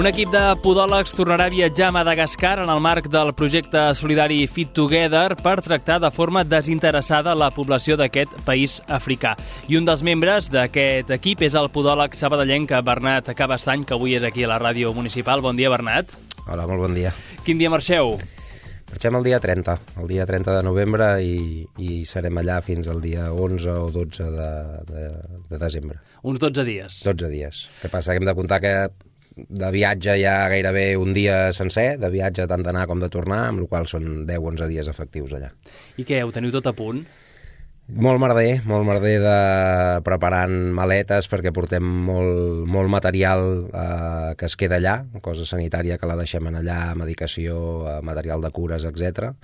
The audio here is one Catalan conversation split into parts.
Un equip de podòlegs tornarà a viatjar a Madagascar en el marc del projecte solidari Fit Together per tractar de forma desinteressada la població d'aquest país africà. I un dels membres d'aquest equip és el podòleg sabadellenc Bernat Cabestany, que avui és aquí a la ràdio municipal. Bon dia, Bernat. Hola, molt bon dia. Quin dia marxeu? Marxem el dia 30 de novembre i serem allà fins al dia 11 o 12 de desembre. Uns 12 dies. 12 dies. El que passa que hem de comptar que de viatge hi ha gairebé un dia sencer, de viatge tant d'anar com de tornar, amb la qual són 10-11 dies efectius allà. I què, ho teniu tot a punt? Molt merder de preparant maletes perquè portem molt material que es queda allà, cosa sanitària que la deixem allà, medicació, material de cures, etc.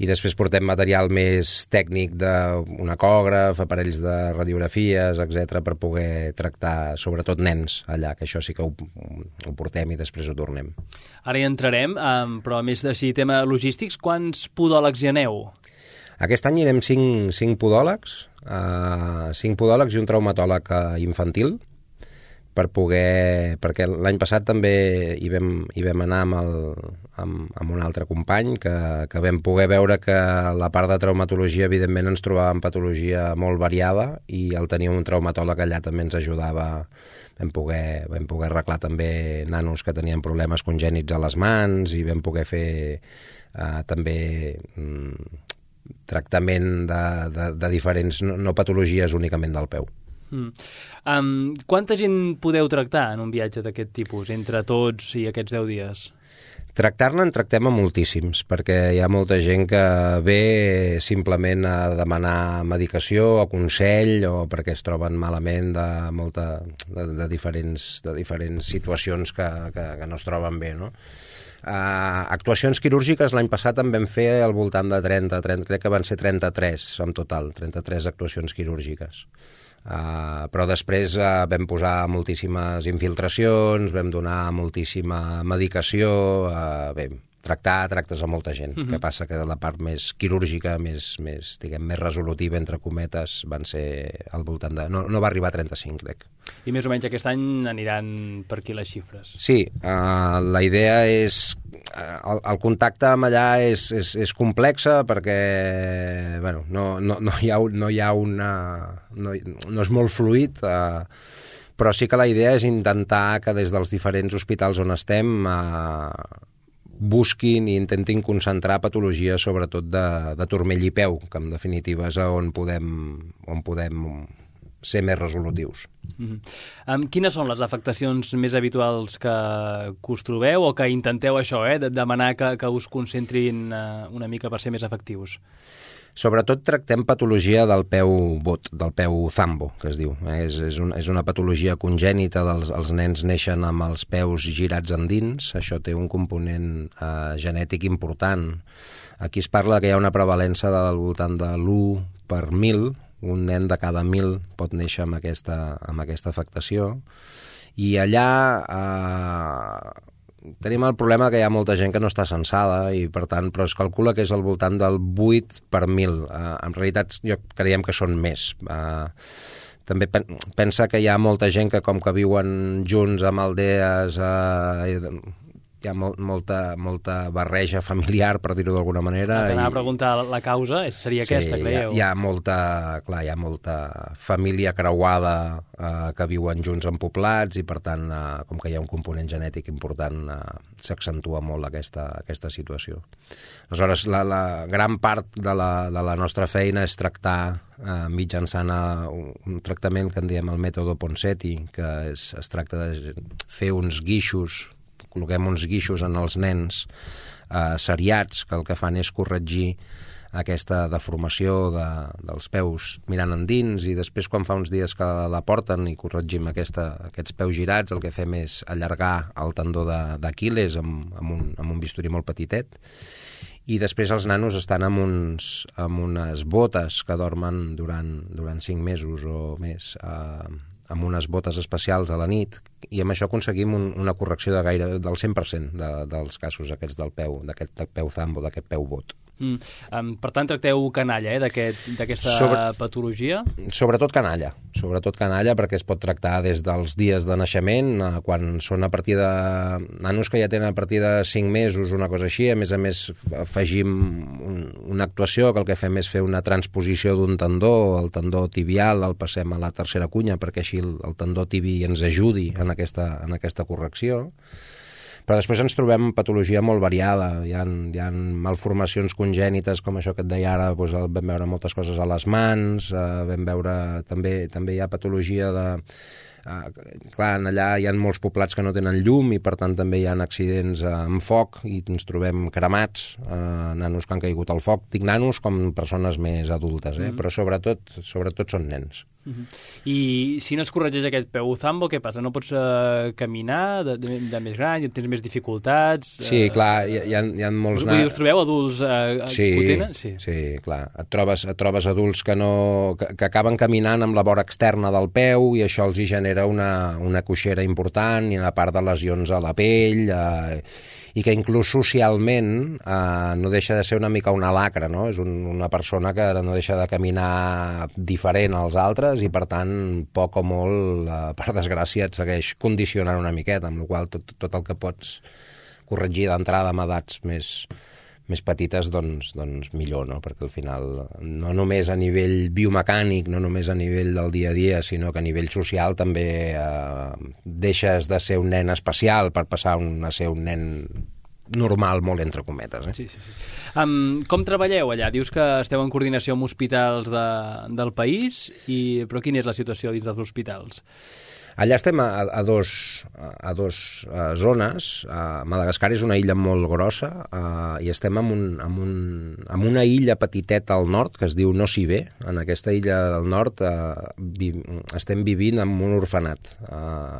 I després portem material més tècnic d'un ecògraf, aparells de radiografies, etc, per poder tractar sobretot nens allà, que això sí que ho portem i després ho tornem. Ara hi entrarem, però a més d'així, tema logístics, quants podòlegs hi aneu? Aquest any anirem 5 podòlegs, 5 podòlegs i un traumatòleg infantil, perquè l'any passat també hi vam anar amb un altre company, que vam poder veure que la part de traumatologia, evidentment, ens trobàvem patologia molt variada i al tenir un traumatòleg allà també ens ajudava. Vam poder arreglar també nanos que tenien problemes congènits a les mans i vam poder fer també tractament de diferents, no patologies únicament del peu. Quanta gent podeu tractar en un viatge d'aquest tipus, entre tots i aquests 10 dies? Tractar-ne en tractem a moltíssims, perquè hi ha molta gent que ve simplement a demanar medicació o consell o perquè es troben malament de diferents situacions que no es troben bé, no? Actuacions quirúrgiques l'any passat en vam fer al voltant de 30, crec que van ser 33 en total, 33 actuacions quirúrgiques. Però després vam posar moltíssimes infiltracions, vam donar moltíssima medicació, tractes a molta gent. El que passa que la part més quirúrgica, més resolutiva, entre cometes, van ser al voltant de... No va arribar a 35, crec. I més o menys aquest any aniran per aquí les xifres. Sí, la idea és... El contacte amb allà és complexa perquè no és molt fluid, però sí que la idea és intentar que des dels diferents hospitals on estem busquin i intentin concentrar patologies sobretot de turmell i peu, que en definitiva és on podem ser més resolutius. Quines són les afectacions més habituals que us trobeu o que intenteu això, de demanar que us concentrin una mica per ser més efectius? Sobretot tractem patologia del peu bot, del peu zambo, que es diu. És una patologia congènita, els nens neixen amb els peus girats endins, això té un component genètic important. Aquí es parla que hi ha una prevalença del voltant de l'1 per 1.000, un nen de cada 1.000 pot néixer amb aquesta afectació, i allà tenim el problema que hi ha molta gent que no està censada i per tant, però es calcula que és al voltant del 8 per 1.000. En realitat jo creiem que són més. També pensa que hi ha molta gent que com que viuen junts amb aldees, hi ha molta barreja familiar, per dir-ho d'alguna manera. T'anava a preguntar la causa, seria aquesta, creieu? Hi ha molta família creuada que viuen junts en poblats i per tant, com que hi ha un component genètic important, s'accentua molt aquesta situació. Aleshores, la gran part de la nostra feina és tractar mitjançant un tractament que en diem el mètode Ponseti, que es tracta de fer uns guixos, col·loquem uns guixos en els nens seriats, que el que fan és corregir aquesta deformació dels peus mirant endins, i després quan fa uns dies que la porten i corregim aquests peus girats, el que fem és allargar el tendó d'Aquil·les amb un bisturí molt petitet, i després els nanos estan amb unes botes que dormen durant 5 mesos o més, amb unes botes especials a la nit, i amb això aconseguim una correcció del 100% dels casos aquests d'aquest peu zambo, d'aquest peu bot. Per tant, tracteu canalla, d'aquesta patologia? Sobretot canalla, perquè es pot tractar des dels dies de naixement, quan són a partir de nanos que ja tenen a partir de 5 mesos, una cosa així. A més, afegim una actuació que el que fem és fer una transposició d'un tendó, el tendó tibial, el passem a la tercera cunya perquè així el tendó tibi ens ajudi en aquesta correcció. Però després ens trobem patologia molt variada. Hi ha malformacions congènites, com això que et deia ara, doncs vam veure moltes coses a les mans, vam veure també hi ha patologia de... Clar, allà hi ha molts poblats que no tenen llum i per tant també hi ha accidents amb foc i ens trobem cremats, nanos que han caigut al foc. Dic nanos com persones més adultes, però sobretot són nens. I si no es corregeix aquest peu Zambo, què passa? No pots caminar de més gran? Tens més dificultats? Sí, clar, hi ha molts... Us trobeu adults que ho tenen? Sí, clar. Et trobes adults que acaben caminant amb la vora externa del peu i això els hi genera una coixera important i una part de lesions a la pell i que inclús socialment no deixa de ser una mica una lacra, no? És una persona que no deixa de caminar diferent als altres i, per tant, poc o molt, per desgràcia, et segueix condicionant una miqueta, amb la qual tot el que pots corregir d'entrada amb edats més petites, doncs millor, no? Perquè al final, no només a nivell biomecànic, no només a nivell del dia a dia, sinó que a nivell social també deixes de ser un nen especial per passar a ser un nen normal, molt entre cometes. Sí. Com treballeu allà? Dius que esteu en coordinació amb hospitals del país, però quina és la situació dins dels hospitals? Allà estem a dos zones. Madagascar és una illa molt grossa i estem en una illa petiteta al nord que es diu Nosy Be. En aquesta illa del nord estem vivint en un orfenat.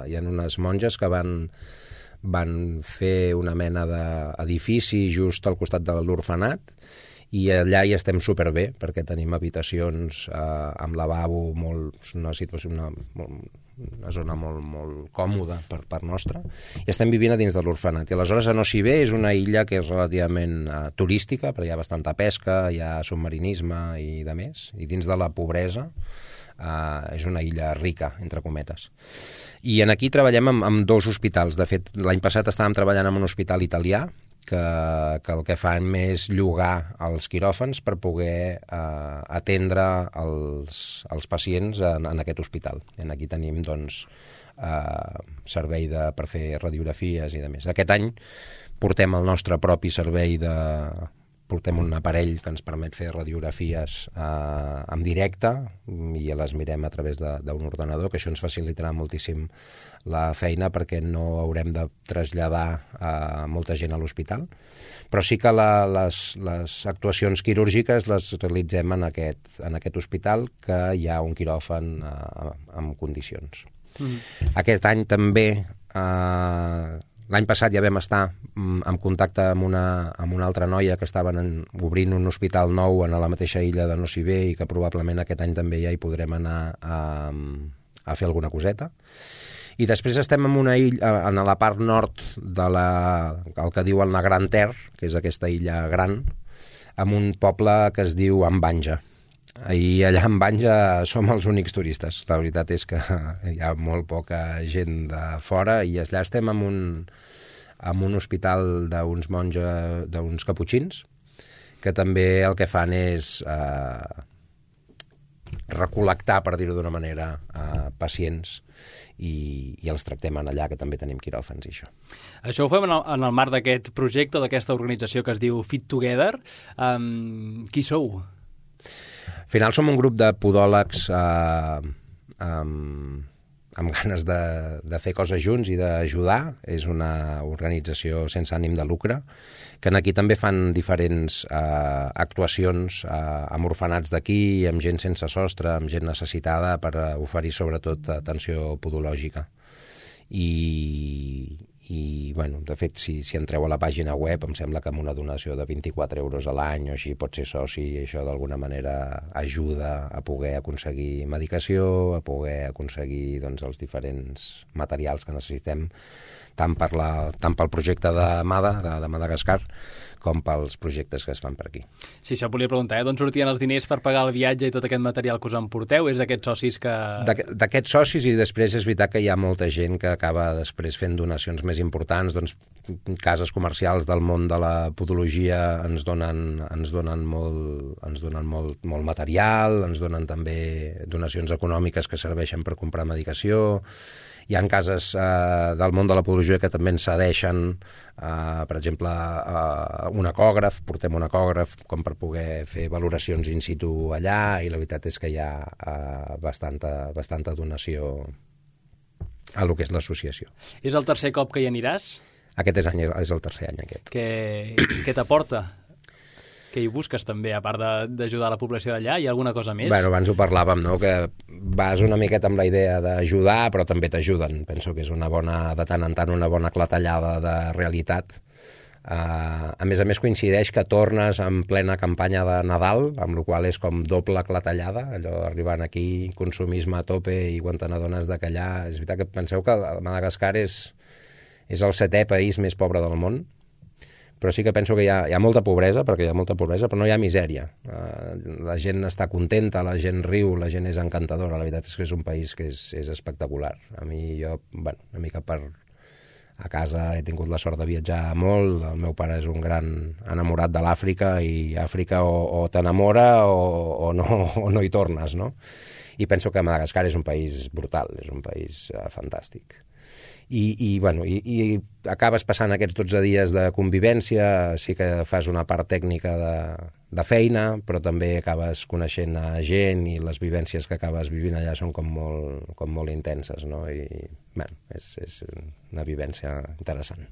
Hi ha unes monges que van fer una mena d'edifici just al costat de l'orfenat i allà hi estem superbé perquè tenim habitacions amb lavabo, una zona molt còmoda per part nostra, i estem vivint a dins de l'orfenat. I aleshores a Nosy Be és una illa que és relativament turística, però hi ha bastanta pesca, hi ha submarinisme i de més, i dins de la pobresa és una illa rica, entre cometes. I aquí treballem amb 2 hospitals. De fet, l'any passat estàvem treballant en un hospital italià que el que fan és llogar els quiròfans per poder atendre els pacients en aquest hospital. I aquí tenim servei per fer radiografies i de més. Aquest any portem el nostre propi servei portem un aparell que ens permet fer radiografies en directe i les mirem a través d'un ordenador, que això ens facilitarà moltíssim la feina perquè no haurem de traslladar molta gent a l'hospital. Però sí que les actuacions quirúrgiques les realitzem en aquest hospital, que hi ha un quiròfan en condicions. Aquest any també... L'any passat ja vam estar en contacte amb una altra noia que estaven obrint un hospital nou a la mateixa illa de Nosy Be i que probablement aquest any també ja hi podrem anar a fer alguna coseta. I després estem en una illa, en la part nord el que diuen la Gran Terre, que és aquesta illa gran, amb un poble que es diu Ambanja. I allà en Banja som els únics turistes. La veritat és que hi ha molt poca gent de fora i allà estem en un hospital d'uns monges, d'uns caputxins, que també el que fan és recol·lectar, per dir-ho d'una manera, pacients i els tractem allà, que també tenim quiròfans i això. Això ho fem en el marc d'aquest projecte, d'aquesta organització que es diu Fit Together. Qui sou? Al final som un grup de podòlegs amb ganes de fer coses junts i d'ajudar. És una organització sense ànim de lucre, que aquí també fan diferents actuacions amb orfenats d'aquí, amb gent sense sostre, amb gent necessitada, per oferir sobretot atenció podològica. I bueno, de fet, si entreu a la pàgina web, em sembla que amb una donació de 24 euros a l'any o així pot ser soci, i això d'alguna manera ajuda a poder aconseguir medicació, a poder aconseguir doncs, els diferents materials que necessitem, tant pel projecte de Madagascar, com pels projectes que es fan per aquí. Sí, això volia preguntar, d'on sortien els diners per pagar el viatge i tot aquest material que us emporteu? És d'aquests socis que... D'aquests socis, i després és veritat que hi ha molta gent que acaba després fent donacions més importants, doncs cases comercials del món de la podologia ens donen molt material, ens donen també donacions econòmiques que serveixen per comprar medicació. Hi ha cases del món de la podologia que també ens cedeixen, per exemple, un ecògraf, portem un ecògraf com per poder fer valoracions in situ allà, i la veritat és que hi ha bastanta donació a lo que és l'associació. És el tercer cop que hi aniràs? Aquest és el tercer any, aquest. Què t'aporta? Què hi busques també, a part d'ajudar la població d'allà? Hi ha alguna cosa més? Bueno, abans ho parlàvem, no?, que vas una miqueta amb la idea d'ajudar, però també t'ajuden. Penso que és de tant en tant una bona clatellada de realitat. A més coincideix que tornes en plena campanya de Nadal, amb la qual és com doble clatellada, allò arribant aquí, consumisme a tope, i quan te n'adones que allà... És veritat que penseu que Madagascar és el 7è país més pobre del món, però sí que penso que hi ha molta pobresa, perquè hi ha molta pobresa, però no hi ha misèria. La gent està contenta, la gent riu, la gent és encantadora. La veritat és que és un país que és espectacular. A mi, una mica a casa he tingut la sort de viatjar molt. El meu pare és un gran enamorat de l'Àfrica, i Àfrica o t'enamora o no hi tornes, no? I penso que Madagascar és un país brutal, és un país fantàstic. I acabes passant aquests 12 dies de convivència, sí que fas una part tècnica de feina, però també acabes coneixent a gent, i les vivències que acabes vivint allà són com molt intenses, no? I és una vivència interessant.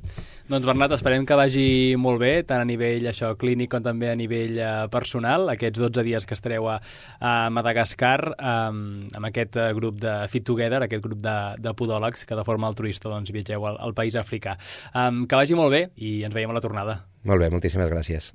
Doncs Bernat, esperem que vagi molt bé, tant a nivell clínic com també a nivell personal, aquests 12 dies que estareu a Madagascar amb aquest grup de Fit Together, aquest grup de podòlegs que de forma altruista viatgeu al país africà. Que vagi molt bé i ens veiem a la tornada. Molt bé, moltíssimes gràcies.